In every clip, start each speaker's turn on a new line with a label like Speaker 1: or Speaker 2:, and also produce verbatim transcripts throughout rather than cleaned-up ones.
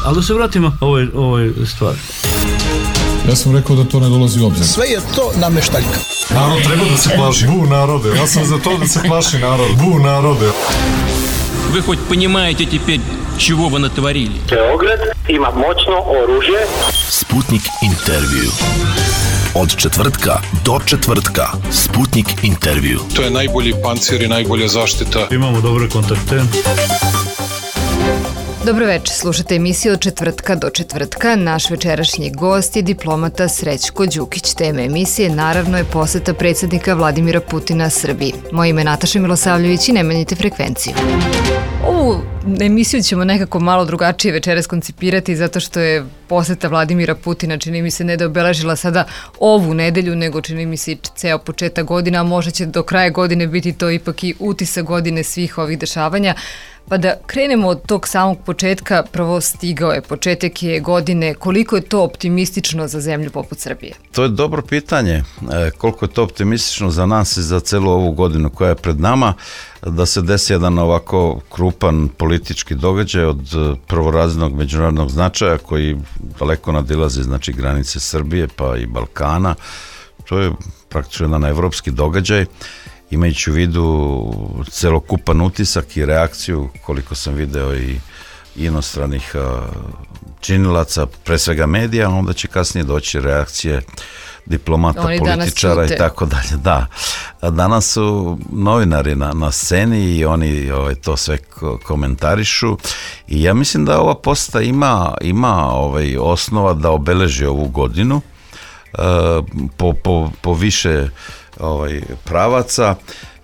Speaker 1: Ali da se vratimo ovoj, ovoj stvari.
Speaker 2: Ja sam rekao da to ne dolazi u obzir.
Speaker 3: Sve je to nameštaljka.
Speaker 2: Narod treba da se plaši. Bu narode. Ja sam za to da se plaši narod. Bu narode.
Speaker 4: Вы хоть понимаете теперь, чего вы натворили?
Speaker 5: Beograd ima moćno oružje.
Speaker 6: Sputnik intervju. Od četvrtka do četvrtka. Sputnik intervju.
Speaker 2: To je najbolji pancir i najbolja zaštita.
Speaker 1: Imamo dobre kontakte.
Speaker 7: Dobro večer, slušate emisiju od četvrtka do četvrtka. Naš večerašnji gost je diplomata Srećko Đukić. Tema emisije naravno je poseta predsjednika Vladimira Putina Srbiji. Moje ime je Nataša Milosavljević i ne menjite frekvenciju. Ovu emisiju ćemo nekako malo drugačije večeras koncipirati zato što je poseta Vladimira Putina, čini mi se, ne da obeležila sada ovu nedelju, nego čini mi se i ceo početak godina, a možda će do kraja godine biti to ipak i utisak godine svih ovih dešavanja. Pa da krenemo od tog samog početka, prvo stigao je, početak je godine, koliko je to optimistično za zemlju poput Srbije?
Speaker 8: To je dobro pitanje, e, koliko je to optimistično za nas i za celu ovu godinu koja je pred nama, da se desi jedan ovako krupan politički događaj od prvorazrednog međunarodnog značaja koji daleko nadilazi, znači, granice Srbije pa i Balkana. To je praktično jedan evropski događaj, imajući u vidu celokupan utisak i reakciju, koliko sam video i inostranih činilaca, pre svega medija, onda će kasnije doći reakcije diplomata, oni političara i tako dalje. Da, danas su novinari na, na sceni i oni ovaj, to sve komentarišu i ja mislim da ova poseta ima, ima ovaj, osnova da obeleži ovu godinu uh, po, po, po više ovaj, pravaca,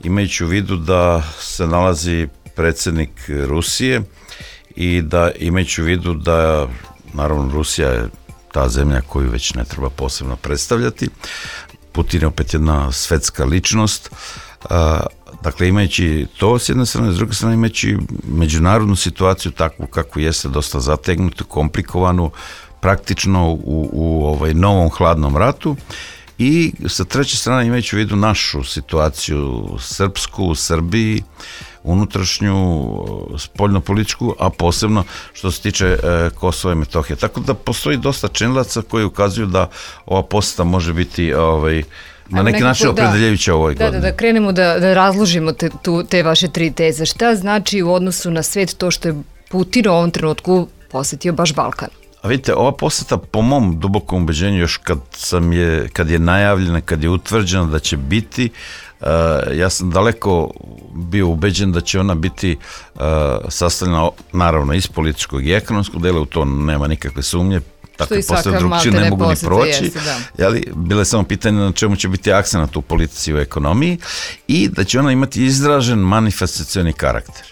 Speaker 8: imajući u vidu da se nalazi predsjednik Rusije i da imajući u vidu da, naravno, Rusija je ta zemlja koju već ne treba posebno predstavljati. Putin je opet jedna svetska ličnost. Dakle, imajući to s jedne strane, s druge strane imajući međunarodnu situaciju takvu kakvu jeste, dosta zategnutu, komplikovanu, praktično u, u ovaj novom hladnom ratu. I sa treće strane imajući u vidu našu situaciju srpsku u Srbiji, unutrašnju, spoljnopolitičku, a posebno što se tiče e, Kosova i Metohije. Tako da postoji dosta činilaca koji ukazuju da ova poseta može biti ovaj, na neki način opredeljujuća ovoj
Speaker 7: da,
Speaker 8: godini.
Speaker 7: Da, da krenemo da, da razložimo te, tu, te vaše tri teze. Šta znači u odnosu na svet to što je Putin u ovom trenutku posetio baš Balkan?
Speaker 8: A vidite, ova poseta po mom dubokom ubeđenju još kad, sam je, kad je najavljena, kad je utvrđena da će biti, uh, ja sam daleko bio ubeđen da će ona biti uh, sastavljena naravno iz političkog i ekonomskog dela, u to nema nikakve sumnje, takve posete drugčije ne mogu ni proći, jeste, jeli, bile samo pitanje na čemu će biti akcenat u politici i u ekonomiji i da će ona imati izražen manifestacioni karakter.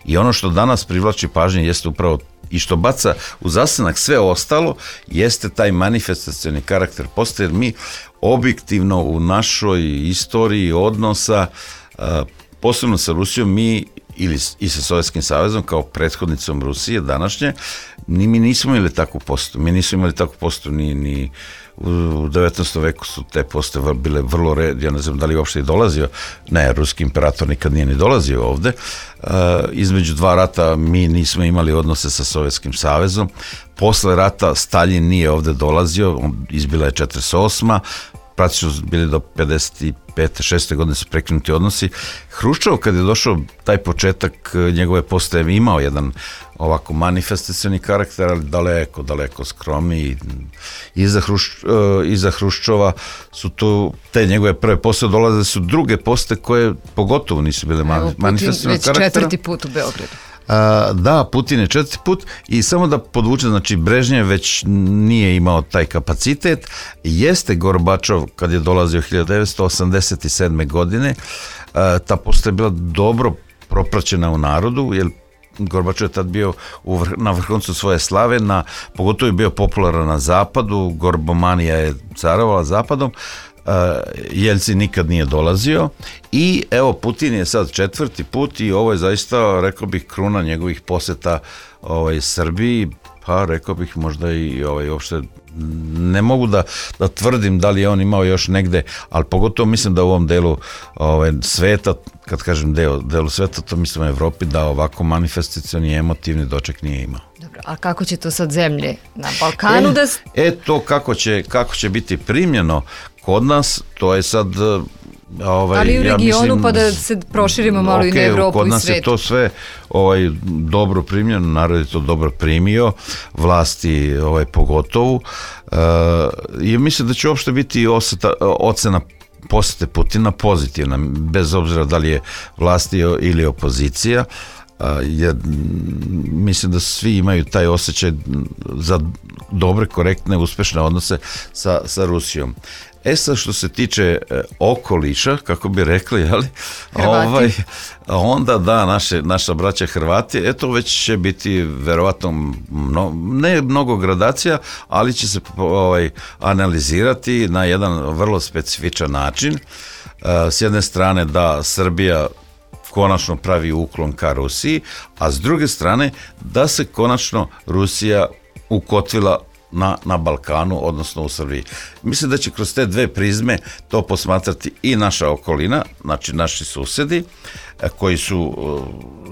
Speaker 8: I ono što danas privlači pažnje jeste upravo i što baca u zasenak sve ostalo, jeste taj manifestacioni karakter postoje, jer mi objektivno u našoj istoriji odnosa, posebno sa Rusijom, mi ili i sa Sovjetskim savezom kao prethodnicom Rusije današnje, ni mi nismo imali takvu posetu. Mi nismo imali takvu posetu ni, ni u devetnaestom veku su te posete bile vrlo red, ja ne znam da li uopšte i dolazio, ne, ruski imperator nikad nije ni dolazio ovde. Uh, između dva rata mi nismo imali odnose sa Sovjetskim savezom. Posle rata Staljin nije ovde dolazio, izbila je četrdeset osma praktično bili do pedeset pete šeste godine su prekinuti odnosi. Hruščov, kad je došao taj početak njegove posete, imao jedan ovako manifestacioni karakter, ali daleko, daleko skromniji. Iza, Hrušč, iza Hruščova su tu, te njegove prve posete dolaze su druge posete koje pogotovo nisu bile manifestacioni karaktera.
Speaker 7: Već četvrti put u Beogradu.
Speaker 8: A, da, Putin je četvrti put i samo da podvučem, znači Brežnjev već nije imao taj kapacitet, jeste Gorbačov kad je dolazio hiljadu devetsto osamdeset sedme godine, a, ta poseta je bila dobro propraćena u narodu, jer Gorbačov je tad bio u vrh, na vrhuncu svoje slave, na, pogotovo je bio popularan na zapadu, Gorbomanija je carovala zapadom, Uh, Jelcin nikad nije dolazio i evo Putin je sad četvrti put i ovo je zaista, rekao bih, kruna njegovih poseta ovaj, Srbiji, pa rekao bih možda i ovaj, uopšte ne mogu da, da tvrdim da li je on imao još negde, ali pogotovo mislim da u ovom delu ovaj, sveta, kad kažem deo, delu sveta, to mislim u Evropi, da ovako manifestacioni i emotivni doček nije imao.
Speaker 7: Dobro. A kako će to sad zemlje na Balkanu
Speaker 8: e,
Speaker 7: da...
Speaker 8: E to kako će, kako će biti primljeno kod nas, to je sad... Ovaj,
Speaker 7: ali u regionu
Speaker 8: ja mislim,
Speaker 7: pa da se proširimo malo okay, i na Evropu i svet. Kod nas
Speaker 8: je to sve ovaj, dobro primljeno, narod je to dobro primio, vlasti ovaj, pogotovo. E, I mislim da će uopšte biti oseta, ocena posete Putina pozitivna, bez obzira da li je vlasti ili opozicija. Jer mislim da svi imaju taj osjećaj za dobre, korektne, uspešne odnose sa, sa Rusijom. E sad što se tiče e, okoliša, kako bi rekli, jeli, ovaj, onda da, naše, naša braća Hrvati, eto već će biti verovatno mno, ne mnogo gradacija, ali će se ovaj, analizirati na jedan vrlo specifičan način. E, s jedne strane da Srbija konačno pravi uklon ka Rusiji, a s druge strane da se konačno Rusija ukotvila na, na Balkanu, odnosno u Srbiji. Mislim da će kroz te dve prizme to posmatrati i naša okolina, znači naši susedi, koji su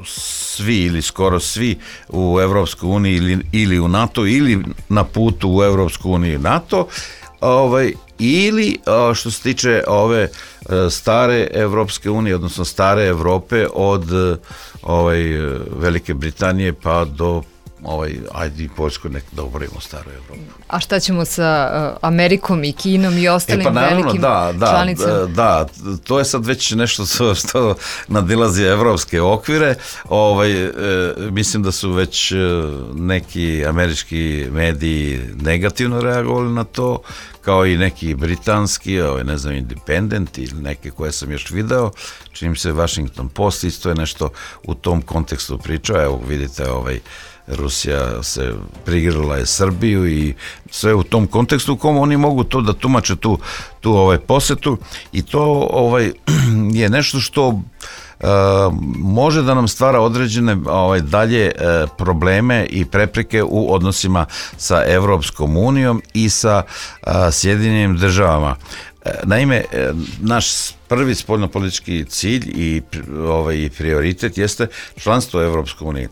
Speaker 8: svi ili skoro svi u Evropskoj uniji ili, ili u NATO ili na putu u Evropsku uniju i NATO, ovaj, ili što se tiče ove stare Evropske unije, odnosno stare Evrope od ovaj, Velike Britanije pa do ovaj, ajde i Poljskoj nek da oborimo staru Evropu.
Speaker 7: A šta ćemo sa uh, Amerikom i Kinom i ostalim e pa naravno, velikim
Speaker 8: da, da,
Speaker 7: članicama?
Speaker 8: Da, da, to je sad već nešto što, što nadilazi evropske okvire. Ovaj, e, mislim da su već neki američki mediji negativno reagovali na to, kao i neki britanski, ovaj, ne znam, Independent ili neke koje sam još video, čini se Washington Post isto je nešto u tom kontekstu pričao. Evo vidite, ovaj, Rusija se prigrala je Srbiju i sve u tom kontekstu u kom oni mogu to da tumače tu, tu ovaj posetu i to ovaj, je nešto što uh, može da nam stvara određene ovaj, dalje uh, probleme i prepreke u odnosima sa Evropskom unijom i sa uh, Sjedinjenim državama. Naime, naš prvi spoljnopolitički cilj i ovaj, prioritet jeste članstvo Evropske unije.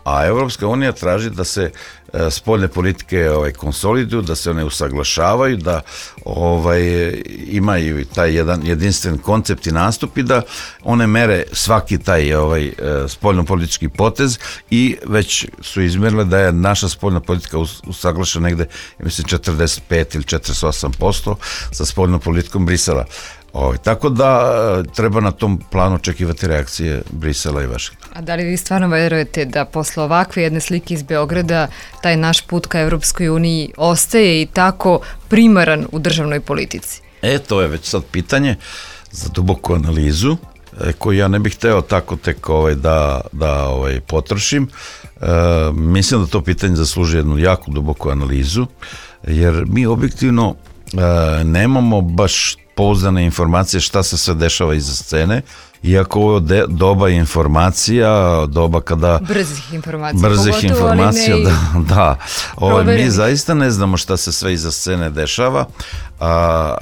Speaker 8: A Evropska unija traži da se e, spoljne politike ovaj, konsoliduju, da se one usaglašavaju, da ovaj, imaju taj jedan jedinstven koncept i nastup i da one mere svaki taj ovaj, e, spoljnopolitički potez i već su izmjerile da je naša spoljna politika usaglašena negde, mislim, četrdeset pet ili četrdeset osam posto sa spoljnom politikom Brisela. O, tako da treba na tom planu očekivati reakcije Brisela i Vašingtona.
Speaker 7: A da li vi stvarno verujete da posle ovakve jedne slike iz Beograda taj naš put ka Evropskoj uniji ostaje i tako primaran u državnoj politici?
Speaker 8: E, to je već sad pitanje za duboku analizu e, koju ja ne bih hteo tako tek ovaj, da, da ovaj, potrošim. E, mislim da to pitanje zasluži jednu jako duboku analizu, jer mi objektivno e, nemamo baš pouzdane informacije šta se sve dešava iza scene, iako ovo je doba informacija, doba kada...
Speaker 7: Brzih informacija.
Speaker 8: Brzih
Speaker 7: pogotovo,
Speaker 8: informacija,
Speaker 7: ne
Speaker 8: da. da. Ovo, mi zaista ne znamo šta se sve iza scene dešava. A,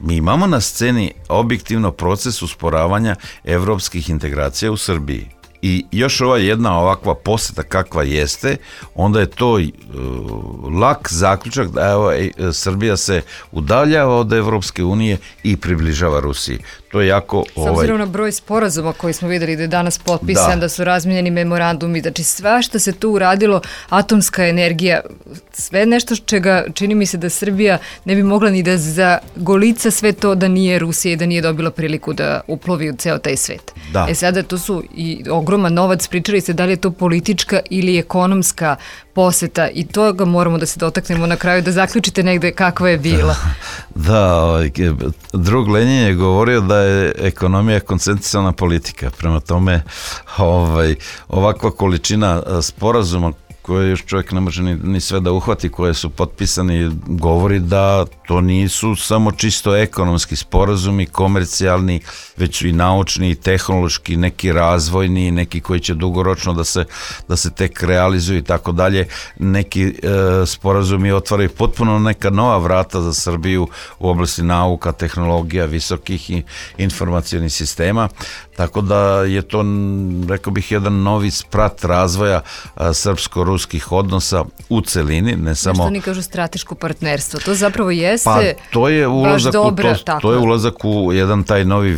Speaker 8: mi imamo na sceni objektivno proces usporavanja evropskih integracija u Srbiji. I još ova jedna ovakva poseta kakva jeste, onda je to uh, lak zaključak da evo, e, Srbija se udaljava od Evropske unije i približava Rusiji. To je jako...
Speaker 7: S obzirom ovaj... na broj sporazuma koji smo videli da je danas potpisan, da, da su razmijenjeni memorandumi, znači sve što se tu uradilo, atomska energija, sve nešto čega čini mi se da Srbija ne bi mogla ni da zagolica sve to da nije Rusija i da nije dobila priliku da uplovi u ceo taj svet.
Speaker 8: Da.
Speaker 7: E sada to su i ogroman novac, pričali se da li je to politička ili ekonomska poseta i toga moramo da se dotaknemo na kraju, da zaključite negde kakva je bila.
Speaker 8: Da, ovaj, drug Lenin je govorio da je ekonomija koncentrisana politika, prema tome ovaj, ovakva količina sporazuma koje još čovjek ne može ni, ni sve da uhvati, koje su potpisani, govori da to nisu samo čisto ekonomski sporazumi, komercijalni, već i naučni, i tehnološki, neki razvojni, neki koji će dugoročno da se, da se tek realizuju i tako dalje. Neki e, sporazumi otvaraju potpuno neka nova vrata za Srbiju u oblasti nauka, tehnologija, visokih i informacionih sistema. Tako da je to, rekao bih, jedan novi sprat razvoja a, srpsko-ruskih odnosa u celini, ne samo...
Speaker 7: Što oni kažu strateško partnerstvo, to zapravo jeste
Speaker 8: pa, to je ulazak
Speaker 7: baš dobra,
Speaker 8: u to, to je ulazak u jedan taj novi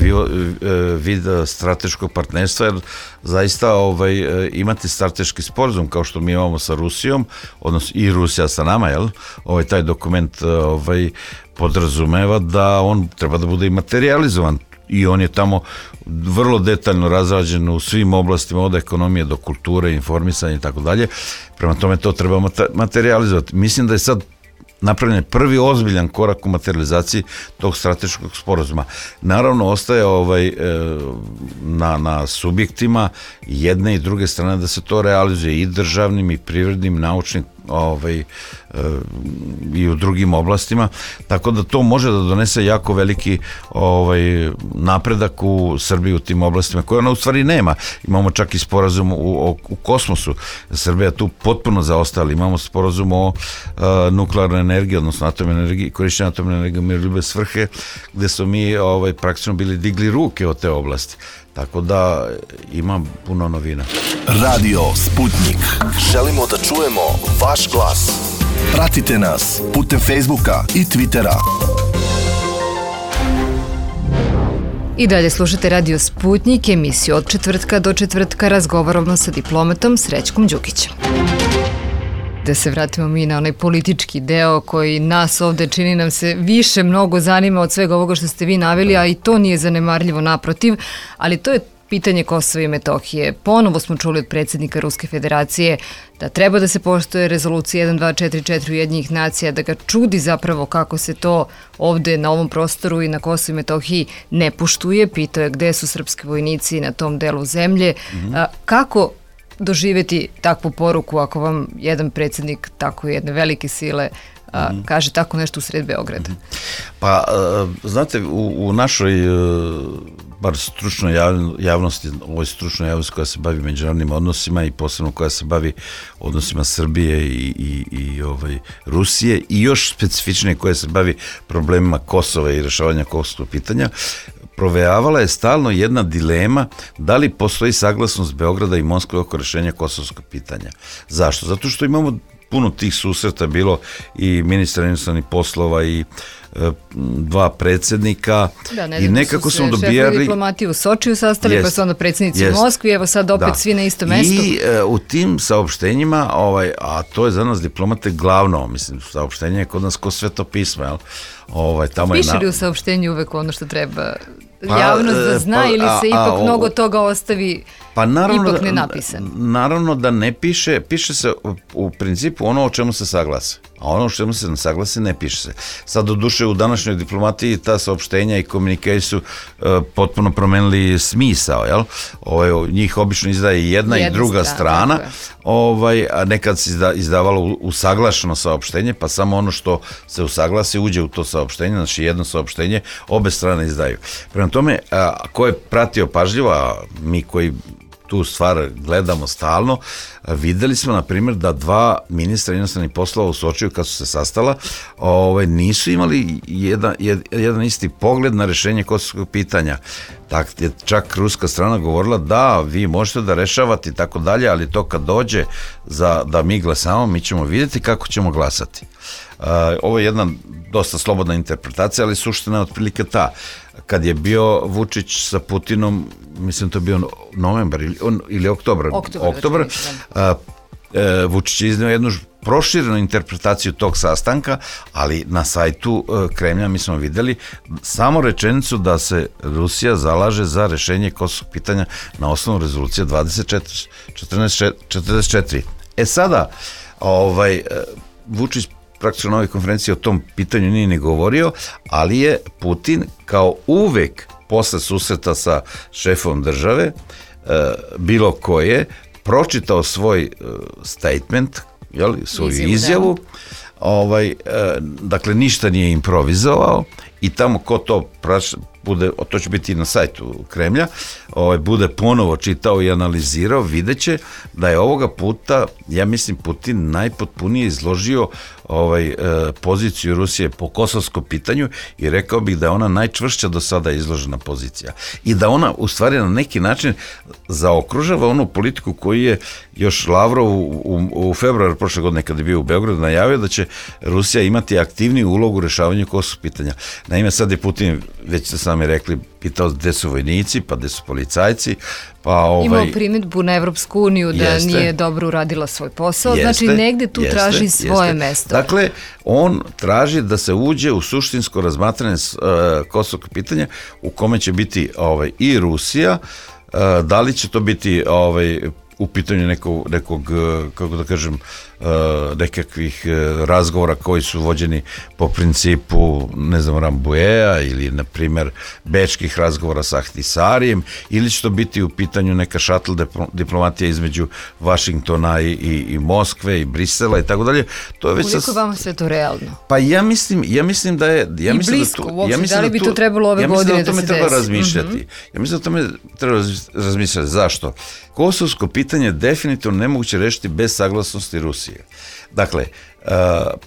Speaker 8: vid strateškog partnerstva, jer zaista ovaj, imati strateški sporazum kao što mi imamo sa Rusijom, odnosno i Rusija sa nama, jel? Ovaj, taj dokument ovaj, podrazumeva da on treba da bude i materializovan i on je tamo vrlo detaljno razrađen u svim oblastima, od ekonomije do kulture, informisanja i tako dalje. Prema tome to treba materializovati. Mislim da je sad napravljen prvi ozbiljan korak u materializaciji tog strateškog sporazuma. Naravno, ostaje ovaj, na, na subjektima jedne i druge strane da se to realizuje i državnim i privrednim, naučnim ovaj, i u drugim oblastima, tako da to može da donese jako veliki ovaj, napredak u Srbiji u tim oblastima koje ona u stvari nema. Imamo čak i sporazum u, u, u kosmosu. Srbija tu potpuno zaostala. Imamo sporazum o a, nuklearnoj energiji, odnosno atomnoj energiji, korišćenju atomne energije u miroljubne svrhe, gde smo mi ovaj, praktično bili digli ruke od te oblasti. Tako da ima puno novina.
Speaker 6: Radio Sputnik. Želimo da čujemo vaš glas. Pratite nas putem Facebooka i Twittera.
Speaker 7: I dalje slušate Radio Sputnik, emisiju od četvrtka do četvrtka razgovaramo sa diplomatom Srećkom Đukićem. Da se vratimo mi na onaj politički deo koji nas ovde čini nam se više mnogo zanima od svega ovoga što ste vi naveli, a i to nije zanemarljivo, naprotiv, ali to je pitanje Kosova i Metohije. Ponovo smo čuli od predsjednika Ruske federacije da treba da se poštuje rezolucija jedan dva četiri četiri Ujedinjenih nacija, da ga čudi zapravo kako se to ovde na ovom prostoru i na Kosovu i Metohiji ne poštuje. Pitao je gde su srpski vojnici na tom delu zemlje. Mm-hmm. A, kako doživjeti takvu poruku ako vam jedan predsjednik tako jedne velike sile a, mm. kaže tako nešto u sred Beograda?
Speaker 8: Pa, znate, u, u našoj bar stručnoj javnosti, ovoj stručnoj javnosti koja se bavi međunarodnim odnosima i posebno koja se bavi odnosima Srbije i, i, i ovaj, Rusije i još specifičnije koja se bavi problemima Kosova i rešavanja kosovskog pitanja, provejavala je stalno jedna dilema da li postoji saglasnost Beograda i Moskve oko rešenja kosovskog pitanja. Zašto? Zato što imamo puno tih susreta, bilo i ministra inostranih poslova i e, dva predsjednika
Speaker 7: da, ne
Speaker 8: i nekako smo dobijali
Speaker 7: diplomati u Sočiju sastali,
Speaker 8: jest,
Speaker 7: pa su onda predsjednici
Speaker 8: jest,
Speaker 7: u Moskvi, evo sad opet
Speaker 8: da.
Speaker 7: Svi na istom mestu.
Speaker 8: I e, u tim saopštenjima, ovaj, a to je za nas diplomate glavno, mislim, saopštenje je kod nas ko Sveto pismo, jel? Ovaj, tamo
Speaker 7: Piše
Speaker 8: je na...
Speaker 7: li u saopštenju uvek ono što treba
Speaker 8: Pa,
Speaker 7: javnost da zna
Speaker 8: pa,
Speaker 7: ili se
Speaker 8: a,
Speaker 7: ipak
Speaker 8: a,
Speaker 7: mnogo toga ostavi
Speaker 8: pa naravno,
Speaker 7: ipak nenapisano?
Speaker 8: Naravno da ne piše, piše se u, u principu ono o čemu se saglasi, a ono o čemu se ne saglasi ne piše se. Sad do duše u današnjoj diplomatiji ta saopštenja i komunikacije su uh, potpuno promenili smisao, jel? Ovaj, njih obično izdaje jedna, jedna i druga strana, strana ovaj, a nekad se izda, izdavalo usaglašeno saopštenje, pa samo ono što se usaglasi uđe u to saopštenje, znači jedno saopštenje obe strane izdaju. Prema tome, a, ko je pratio pažljivo, a mi koji tu stvar gledamo stalno, videli smo, na primjer, da dva ministra inostranih poslova u Sočiju, kad su se sastala, ovaj, nisu imali jedan, jedan isti pogled na rešenje kosovskog pitanja. Tak je čak ruska strana govorila da vi možete da rešavate i tako dalje, ali to kad dođe za, da mi glasamo, mi ćemo vidjeti kako ćemo glasati. Uh, ovo je jedna dosta slobodna interpretacija, ali suština je otprilike ta. Kad je bio Vučić sa Putinom, mislim to je bio novembar ili, on, ili oktobar,
Speaker 7: oktobar,
Speaker 8: oktobar a, e, Vučić je iznio jednu proširenu interpretaciju tog sastanka, ali na sajtu e, Kremlja mi smo vidjeli samo rečenicu da se Rusija zalaže za rešenje kosovskog pitanja na osnovu rezolucije dvadeset četiri četrdeset četiri. E sada, ovaj, Vučić praktično na ovoj konferenciji o tom pitanju nije ni govorio, ali je Putin kao uvek posle susreta sa šefom države, e, bilo koje, pročitao svoj e, statement, jel, svoju izjavu, izjavu ovaj, e, dakle ništa nije improvizovao i tamo ko to praš, bude, to će biti na sajtu Kremlja, ovaj, bude ponovo čitao i analizirao, vidjet će da je ovoga puta, ja mislim, Putin najpotpunije izložio ovaj, e, poziciju Rusije po kosovskom pitanju i rekao bih da je ona najčvršća do sada izložena pozicija. I da ona u stvari na neki način zaokružava onu politiku koju je još Lavrov u, u, u februaru prošle godine kad je bio u Beogradu najavio da će Rusija imati aktivniju ulogu u rešavanju kosovskog pitanja. Naime, sad je Putin, već ste sami rekli, pitao gde su vojnici, pa gde su policajci, pa ovaj...
Speaker 7: Imao primjedbu na Evropsku uniju da
Speaker 8: jeste,
Speaker 7: nije dobro uradila svoj posao,
Speaker 8: jeste,
Speaker 7: znači negde tu
Speaker 8: jeste,
Speaker 7: traži svoje
Speaker 8: jeste.
Speaker 7: mesto.
Speaker 8: Dakle, on traži da se uđe u suštinsko razmatranje uh, kosovog pitanja u kome će biti ovaj, i Rusija, uh, da li će to biti ovaj, u pitanju nekog, nekog, kako da kažem, nekakvih razgovora koji su vođeni po principu, ne znam, Rambouilleta ili, na primjer, bečkih razgovora sa Ahtisarijem, ili će to biti u pitanju neka šatl diplomatija između Vašingtona i, i, i Moskve i Brisela i tako dalje. To je već
Speaker 7: Koliko
Speaker 8: sas...
Speaker 7: vama sve to realno?
Speaker 8: Pa ja mislim, ja mislim da je... Ja
Speaker 7: I
Speaker 8: mislim
Speaker 7: blisko,
Speaker 8: da tu,
Speaker 7: uopšte,
Speaker 8: ja mislim
Speaker 7: da li
Speaker 8: da
Speaker 7: bi
Speaker 8: tu,
Speaker 7: to trebalo ove
Speaker 8: ja
Speaker 7: godine da se desi?
Speaker 8: Ja mislim da o tome treba razmišljati. Mm-hmm. Ja mislim da o tome treba razmišljati. Zašto? Kosovsko pitanje je definitivno nemoguće rešiti bez saglasnosti Rusije. Dakle, uh,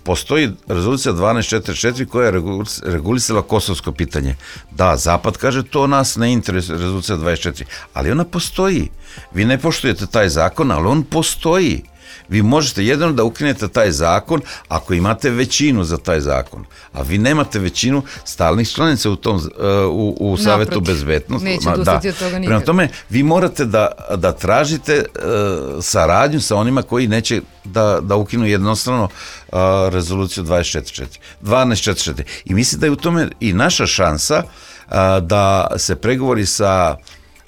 Speaker 8: postoji rezolucija dvanaest četrdeset četiri koja je regulisala kosovsko pitanje. Da, Zapad kaže to nas ne interesuje, rezolucija dvadeset četiri, ali ona postoji. Vi ne poštujete taj zakon, ali on postoji. Vi možete jedino da ukinete taj zakon ako imate većinu za taj zakon. A vi nemate većinu stalnih članica u tom u, u Savetu bezbednosti.
Speaker 7: Neće dostati od toga nikad.
Speaker 8: Prema tome, vi morate da, da tražite uh, saradnju sa onima koji neće da, da ukinu jednostavno uh, rezoluciju dvadeset četrdeset četiri. dvanaest četrdeset četiri. I mislim da je u tome i naša šansa uh, da se pregovori sa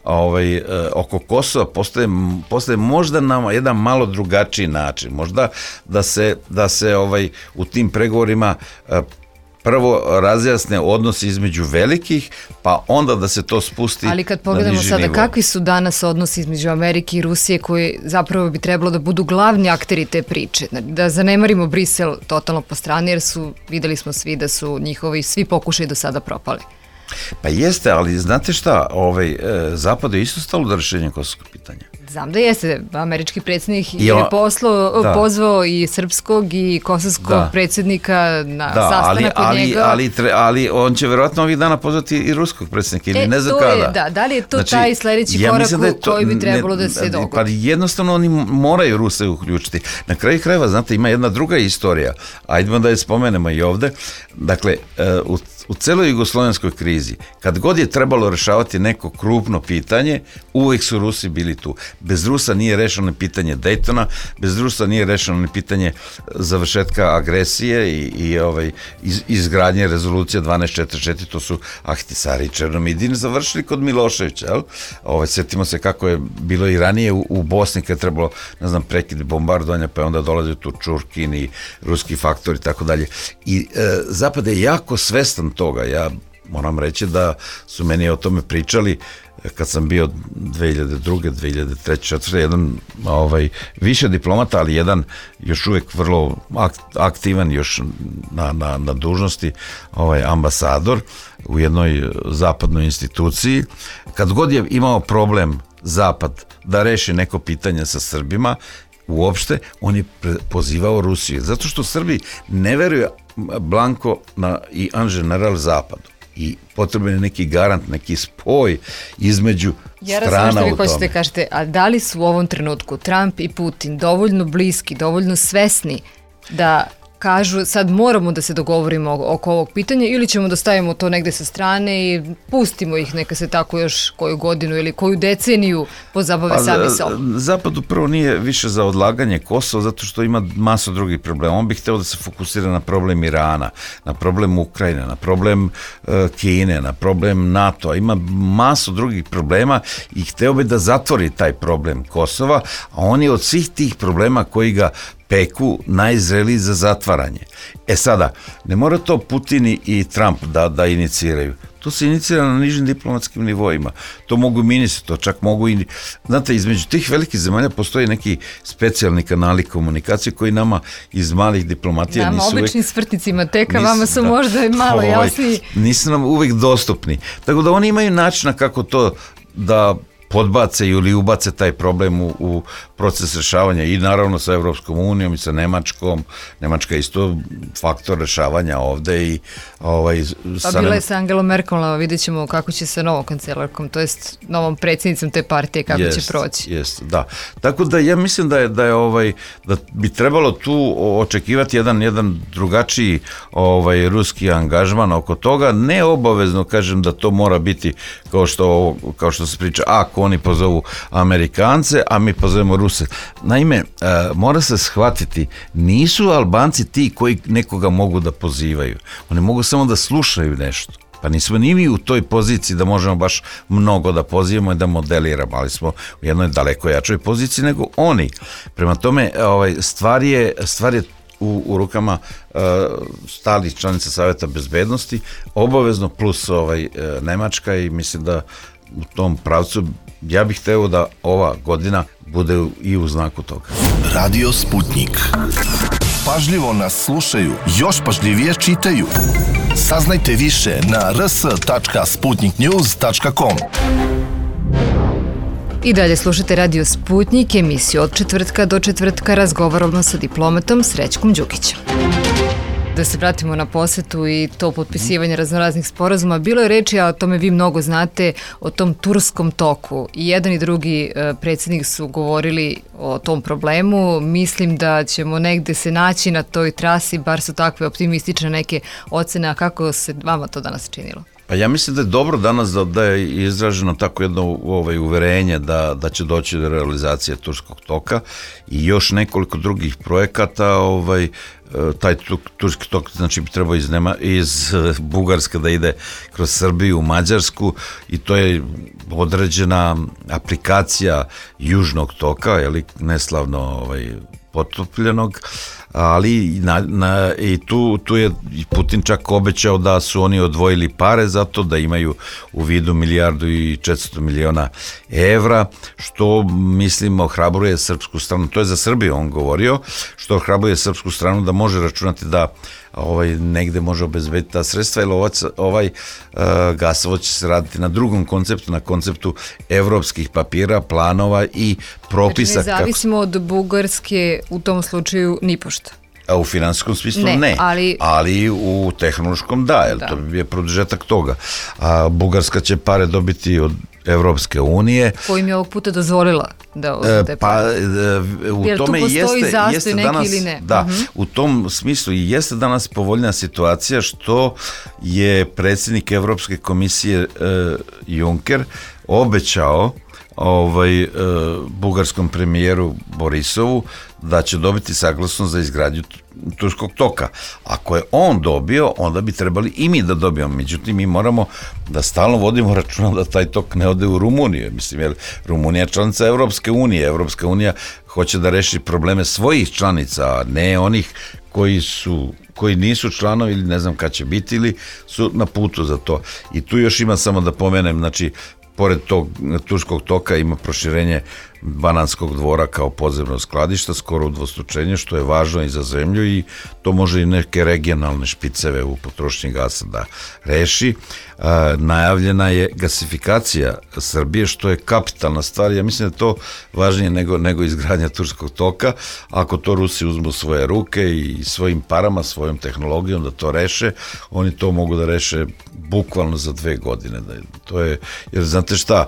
Speaker 8: Ovaj, oko Kosova postoje, postoje možda na jedan malo drugačiji način, možda da se, da se ovaj, u tim pregovorima prvo razjasne odnosi između velikih, pa onda da se to spusti na niži nivo.
Speaker 7: Ali kad pogledamo sada kakvi su danas odnosi između Amerike i Rusije koji zapravo bi trebalo da budu glavni akteri te priče, da zanemarimo Brisel totalno po strani jer su, videli smo svi da su njihovi svi pokušaj do sada propali.
Speaker 8: Pa jeste, ali znate šta, ovaj, e, Zapadu je isto stalo do rešenja kosovskog pitanja.
Speaker 7: Znam da jeste, američki predsjednik je on, poslo, da. pozvao i srpskog i kosovskog da. predsjednika na
Speaker 8: da,
Speaker 7: sastanak
Speaker 8: ali,
Speaker 7: od njega.
Speaker 8: Ali, ali, ali on će verovatno ovih dana pozvati i ruskog predsjednika ili
Speaker 7: e,
Speaker 8: ne znam
Speaker 7: to
Speaker 8: kada.
Speaker 7: Je, da, da li je to
Speaker 8: znači,
Speaker 7: taj sledeći
Speaker 8: ja
Speaker 7: korak
Speaker 8: da to,
Speaker 7: koji bi trebalo ne, da se dogodi?
Speaker 8: Pa jednostavno oni moraju Ruse uključiti. Na kraju krajeva, znate, ima jedna druga istorija, ajdemo da je spomenemo i ovde. Dakle, u U celoj jugoslovenskoj krizi, kad god je trebalo rešavati neko krupno pitanje, uvijek su Rusi bili tu. Bez Rusa nije rešeno pitanje Daytona, bez Rusa nije rešeno ni pitanje završetka agresije i, i ovaj, iz, izgradnje rezolucije dvanaest četrdeset četiri, to su Ahtisari i Černomidin završili kod Miloševića. Jel? Ovaj, sjetimo se kako je bilo i ranije u, u Bosni kad je trebalo, ne znam, prekid bombardovanja, pa je onda dolazio tu Čurkin i ruski faktor i tako dalje. I e, Zapad je jako svestan toga. Ja moram reći da su meni o tome pričali kad sam bio dve hiljade druge. dve hiljade treće. četvrte. jedan ovaj, više diplomata, ali jedan još uvijek vrlo aktivan još na, na, na dužnosti ovaj, ambasador u jednoj zapadnoj instituciji. Kad god je imao problem Zapad da reši neko pitanje sa Srbima, uopšte, on je pozivao Rusiju. Zato što Srbi ne veruju blanko na, i en general Zapadu. I potreban je neki garant, neki spoj između
Speaker 7: ja
Speaker 8: strana u tome.
Speaker 7: Ja razumem što vi hoćete kažete, a da li su u ovom trenutku Trump i Putin dovoljno bliski, dovoljno svesni da kažu sad moramo da se dogovorimo oko ovog pitanja ili ćemo da stavimo to negde sa strane i pustimo ih neka se tako još koju godinu ili koju deceniju pozabave pa, sami sobom?
Speaker 8: Zapadu prvo nije više za odlaganje Kosova zato što ima masu drugih problema. On bi hteo da se fokusira na problem Irana, na problem Ukrajine, na problem uh, Kine, na problem NATO. Ima masu drugih problema i hteo bi da zatvori taj problem Kosova, a on je od svih tih problema koji ga peku najzreliji za zatvaranje. E sada, ne mora to Putin i Trump da, da iniciraju. To se inicira na nižim diplomatskim nivoima. To mogu i ministri, to čak mogu i... Znate, između tih velikih zemalja postoji neki specijalni kanali komunikacije koji nama iz malih diplomatija
Speaker 7: nama,
Speaker 8: nisu uvek...
Speaker 7: običnim svrtnicima teka,
Speaker 8: nisu,
Speaker 7: vama su
Speaker 8: da,
Speaker 7: možda i malo
Speaker 8: ovaj,
Speaker 7: jasniji.
Speaker 8: Nisu nam uvek dostupni. Tako da oni imaju načina kako to da podbace ili ubace taj problem u, u proces rešavanja i naravno sa Evropskom unijom i sa Nemačkom. Nemačka je isto faktor rešavanja ovde i ovaj,
Speaker 7: pa
Speaker 8: sa
Speaker 7: bila je sa Angelom Merkelom, vidjet ćemo kako će se novom kancelarkom, to jest novom predsjednicom te partije, kako jest, će proći.
Speaker 8: Jest, da. Tako da ja mislim da je, da je ovaj, da bi trebalo tu očekivati jedan, jedan drugačiji ovaj, ruski angažman oko toga, ne obavezno kažem da to mora biti kao što, kao što se priča, ako oni pozovu Amerikance, a mi pozovemo Ruse. Naime, mora se shvatiti, nisu Albanci ti koji nekoga mogu da pozivaju. Oni mogu samo da slušaju nešto. Pa nismo ni mi u toj poziciji da možemo baš mnogo da pozivamo i da modeliramo, ali smo u jednoj daleko jačoj poziciji nego oni. Prema tome, ovaj, stvar je, stvar je u, u rukama uh, stalih članica Saveta bezbednosti, obavezno plus ovaj, uh, Nemačka i mislim da u tom pravcu ja bih hteo da ova godina bude i u znaku toga.
Speaker 6: Radio Sputnik. Pažljivo nas slušaju, još pažljivije čitaju. Saznajte više na r s tačka sputnik news tačka com.
Speaker 7: I dalje slušate Radio Sputnik, emisiju od četvrtka do četvrtka razgovaramo sa diplomatom Srećkom Đukićem. Da se vratimo na posetu i to potpisivanje raznoraznih sporazuma. Bilo je reči, a o tome vi mnogo znate, o tom turskom toku. I jedan i drugi predsjednik su govorili o tom problemu. Mislim da ćemo negde se naći na toj trasi, bar su takve optimistične neke ocene. A kako se vama to danas činilo?
Speaker 8: Pa ja mislim da je dobro danas da, da je izraženo tako jedno ovaj, uverenje da, da će doći do realizacije turskog toka i još nekoliko drugih projekata. Ovaj, taj turski tok znači bi trebao iz, Nema, iz Bugarske da ide kroz Srbiju u Mađarsku i to je određena aplikacija južnog toka, jeli, neslavno ovaj, potopljenog, ali na, na, i tu, tu je Putin čak obećao da su oni odvojili pare za to, da imaju u vidu milijardu i četiristo miliona evra, što mislim ohrabruje srpsku stranu, to je za Srbiju on govorio, što ohrabruje srpsku stranu da može računati da ovaj, negde može obezbediti ta sredstva, jer ovaj, ovaj uh, gasovod će se raditi na drugom konceptu, na konceptu evropskih papira, planova i propisa.
Speaker 7: Znači ne zavisimo kako... od Bugarske u tom slučaju nipošto.
Speaker 8: A u finansijskom smislu ne, ne.
Speaker 7: Ali...
Speaker 8: ali u tehnološkom da, jer da. To bi je produžetak toga. A Bugarska će pare dobiti od Evropske unije.
Speaker 7: Kojim je ovog puta dozvolila da uzete pare.
Speaker 8: Pa u jer tome jeste, jeste danas,
Speaker 7: ili ne?
Speaker 8: Da,
Speaker 7: uh-huh.
Speaker 8: u tom smislu i jeste danas povoljna situacija što je predsjednik Evropske komisije uh, Juncker obećao ovaj, uh, bugarskom premijeru Borisovu da će dobiti saglasnost za izgradnju turskog toka. Ako je on dobio, onda bi trebali i mi da dobijemo. Međutim, mi moramo da stalno vodimo računa da taj tok ne ode u Rumuniju. Mislim, jer Rumunija je članica Evropske unije. Evropska unija hoće da reši probleme svojih članica, a ne onih koji su koji nisu članovi ili ne znam kad će biti ili su na putu za to. I tu još ima samo da pomenem, znači, pored tog turskog toka ima proširenje Banatskog dvora kao podzemno skladišta, skoro udvostručenje, što je važno i za zemlju i to može i neke regionalne špiceve u potrošnji gasa da reši. E, najavljena je gasifikacija Srbije, što je kapitalna stvar. Ja mislim da je to važnije nego, nego izgradnja turskog toka. Ako to Rusi uzmu svoje ruke i svojim parama, svojom tehnologijom da to reše, oni to mogu da reše bukvalno za dve godine. To je, jer znate šta,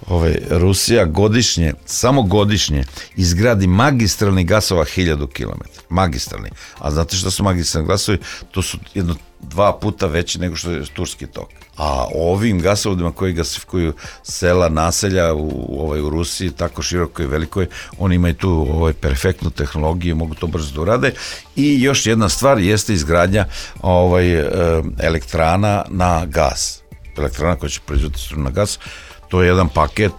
Speaker 8: ovaj, Rusija godišnje, samo godišnje izgradi magistralni gasova hiljadu kilometara. Magistralni. A znate šta su magistralni gasovi? To su jedno dva puta veći nego što je turski tok. A ovim gasovodima koji gasifikuju sela, naselja u, ovaj, u Rusiji, tako širokoj i velikoj, oni imaju tu ovaj, perfektnu tehnologiju, mogu to brzo da urade. I još jedna stvar jeste izgradnja ovaj, elektrana na gas. Elektrana koja će proizvoditi struju na gas. To je jedan paket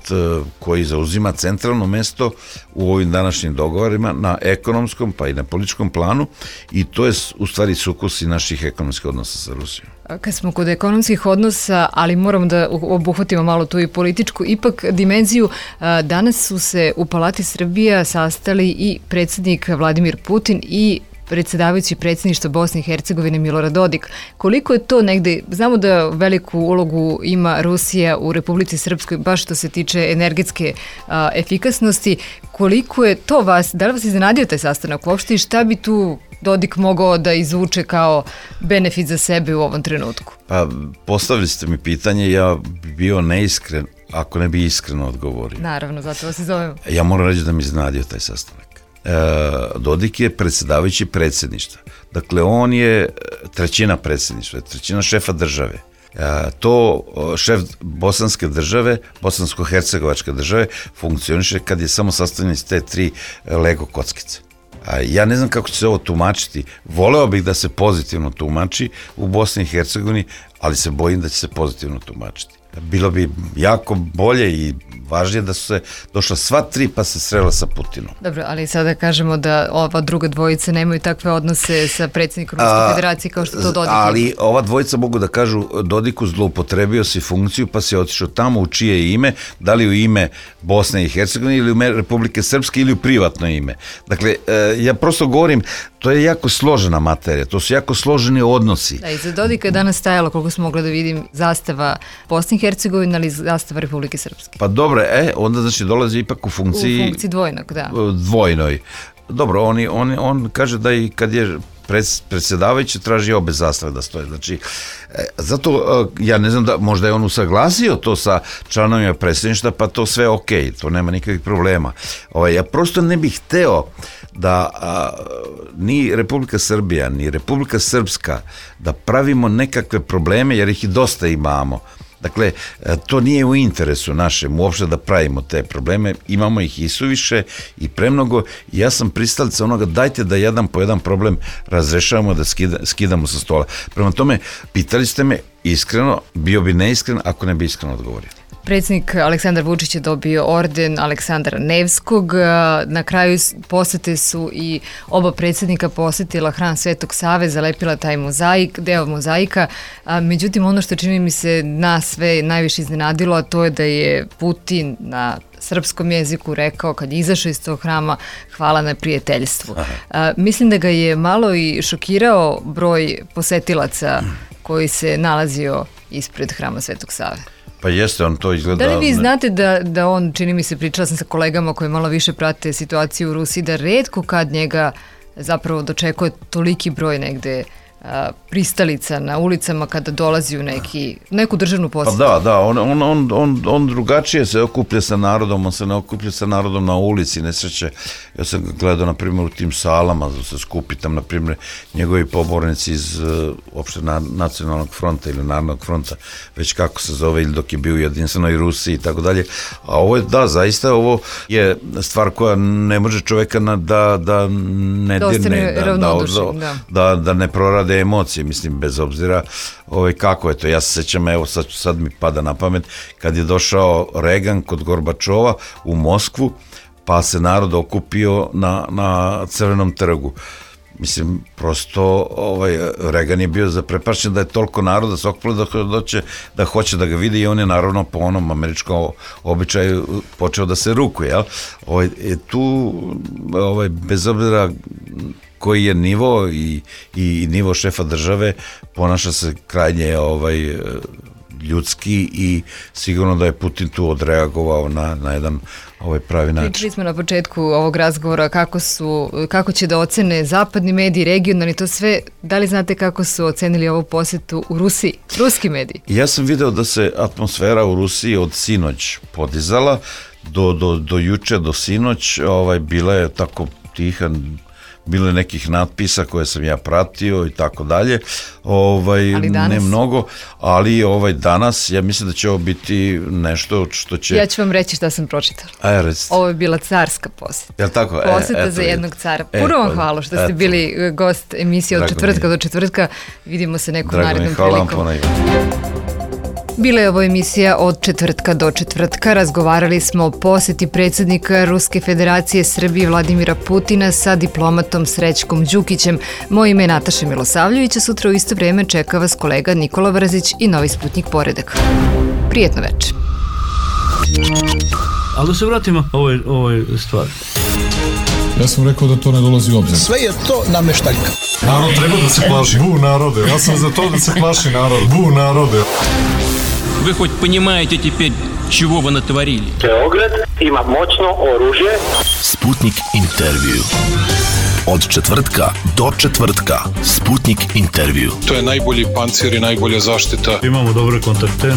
Speaker 8: koji zauzima centralno mesto u ovim današnjim dogovorima na ekonomskom pa i na političkom planu i to je u stvari sukus i naših ekonomskih odnosa sa Rusijom.
Speaker 7: Kad smo kod ekonomskih odnosa, ali moramo da obuhvatimo malo tu i političku, ipak dimenziju, danas su se u Palati Srbija sastali i predsjednik Vladimir Putin i predsjedavajući predsjedništva Bosne i Hercegovine Milorad Dodik. Koliko je to negde, znamo da veliku ulogu ima Rusija u Republici Srpskoj, baš što se tiče energetske a, efikasnosti, koliko je to vas, da li vas iznenadio taj sastanak uopšte i šta bi tu Dodik mogao da izvuče kao benefit za sebe u ovom trenutku?
Speaker 8: Pa postavili ste mi pitanje, ja bi bio neiskren ako ne bi iskreno odgovorio.
Speaker 7: Naravno, zato vas i zovemo.
Speaker 8: Ja moram reći da mi iznenadio taj sastanak. Dodik je predsjedavajući predsjedništva. Dakle, on je trećina predsjedništva, trećina šefa države. To šef bosanske države, bosansko-hercegovačke države, funkcioniše kad je samo sastavljen iz te tri Lego kockice. Ja ne znam kako će se ovo tumačiti. Voleo bih da se pozitivno tumači u Bosni i Hercegovini, ali se bojim da će se pozitivno tumačiti. Bilo bi jako bolje i važnije da su se došla sva tri pa se srela sa Putinom.
Speaker 7: Dobro, ali sada kažemo da ova druga dvojica nemaju takve odnose sa predsjednikom Ruske federacije kao što to Dodik.
Speaker 8: Ali ova dvojica mogu da kažu Dodiku zloupotrebio si funkciju pa si otišao tamo u čije ime, da li u ime Bosne i Hercegovine ili u ime Republike Srpske ili u privatno ime. Dakle, ja prosto govorim, to je jako složena materija, to su jako složeni odnosi.
Speaker 7: Da, iza Dodika je danas stajalo, koliko smo mogli da vidim, zastava Bosne i Hercegovine, ali zastava Republike Srpske.
Speaker 8: Pa dobro, e, onda znači dolazi ipak u funkciji...
Speaker 7: U funkciji dvojnog, da.
Speaker 8: Dvojnoj. Dobro, on, on, on kaže da i kad je predsjedavajući traži obe zastave da stoje. Znači, zato ja ne znam da možda je on usaglasio to sa članovima predsjedništva, pa to sve ok, to nema nikakvih problema. Ovaj, ja prosto ne bih hteo da a, ni Republika Srbija, ni Republika Srpska da pravimo nekakve probleme, jer ih i dosta imamo. Dakle, to nije u interesu našem uopšte da pravimo te probleme, imamo ih i suviše i premnogo i ja sam pristalica onoga dajte da jedan po jedan problem razrešavamo, da skida, skidamo sa stola. Prema tome, pitali ste me iskreno, bio bi neiskren ako ne bi iskreno odgovorio.
Speaker 7: Predsjednik Aleksandar Vučić je dobio orden Aleksandra Nevskog. Na kraju posete su i oba predsjednika posetila hram Svetog Save, zalepila taj mozaik, deo mozaika. Međutim, ono što čini mi se nas sve najviše iznenadilo, a to je da je Putin na srpskom jeziku rekao kad je izašao iz tog hrama hvala na prijateljstvu. A, mislim da ga je malo i šokirao broj posetilaca koji se nalazio ispred hrama Svetog Save.
Speaker 8: Pa jeste, on to izgleda...
Speaker 7: Da li vi znate da, da on, čini mi se, pričala sam sa kolegama koji malo više prate situaciju u Rusiji, da retko kad njega zapravo dočekuje toliki broj negde a, pristalica na ulicama kada dolazi u neki, neku državnu posjetu?
Speaker 8: Pa da, da, on, on, on, on, on drugačije se okuplja sa narodom, on se ne okuplja sa narodom na ulici, nesreće. Ja sam gledao, na primjer, u tim salama, da se skupi tam, na primjer, njegovi pobornici iz uh, opšte na, nacionalnog fronta ili narodnog fronta, već kako se zove, ili dok je bio u jedinstvenoj Rusiji i tako dalje. A ovo je, da, zaista, ovo je stvar koja ne može čoveka na, da, da ne dirne, da, da, da, da, da ne prorade emocije, mislim, bez obzira ovaj, kako je to. Ja se sećam, evo sad, sad mi pada na pamet, kad je došao Reagan kod Gorbačova u Moskvu, pa se narod okupio na, na Crvenom trgu. Mislim, prosto ovaj, Reagan je bio zaprepašćen da je toliko naroda se okupilo da, doće, da hoće da ga vidi i on je naravno po onom američkom običaju počeo da se rukuje. Jel? Ovaj, tu, ovaj, bez obzira koji je nivo i, i nivo šefa države, ponaša se krajnje ovaj, ljudski i sigurno da je Putin tu odreagovao na, na jedan ovaj pravi način.
Speaker 7: Pričali smo na početku ovog razgovora kako, su, kako će da ocene zapadni mediji, regionalni, to sve. Da li znate kako su ocenili ovu posjetu u Rusiji, ruski mediji?
Speaker 8: Ja sam video da se atmosfera u Rusiji od sinoć podizala, do, do, do juče, do sinoć, ovaj, bila je tako tiha, bilo je nekih natpisa koje sam ja pratio i tako dalje, ovaj, ne mnogo, ali ovaj, danas ja mislim da će ovo biti nešto što će...
Speaker 7: Ja ću vam reći šta sam pročitala.
Speaker 8: Aj, recite.
Speaker 7: Ovo je bila carska posjeta.
Speaker 8: Jel tako?
Speaker 7: Posjeta e, za jednog cara. Puno vam hvala što ste eto. bili gost emisije od četvrtka do četvrtka. Vidimo se nekom narednom prilikom.
Speaker 8: Drago mi, hvala vam ponajviše.
Speaker 7: Bila je ovo emisija od četvrtka do četvrtka. Razgovarali smo o poseti predsjednika Ruske federacije Srbije Vladimira Putina sa diplomatom Srećkom Đukićem. Moje ime je Nataša Milosavljević, a sutra u isto vrijeme čeka vas kolega Nikola Vrzić i Novi Sputnik Poredak. Prijetno večer.
Speaker 1: Ali da se vratimo ovoj, ovoj stvari.
Speaker 3: Ja sam rekao da to ne dolazi u obzir.
Speaker 9: Sve je to nameštaljka.
Speaker 2: Narod treba da se plaši. Bu narode. Ja sam za to da se plaši narod. Bu narode.
Speaker 4: Вы хоть понимаете теперь, чего вы натворили?
Speaker 5: Beograd ima moćno oružje.
Speaker 6: Sputnik intervju. Od četvrtka do četvrtka. Sputnik intervju.
Speaker 3: To je najbolji pancir i najbolja zaštita.
Speaker 1: Imamo dobre kontakte.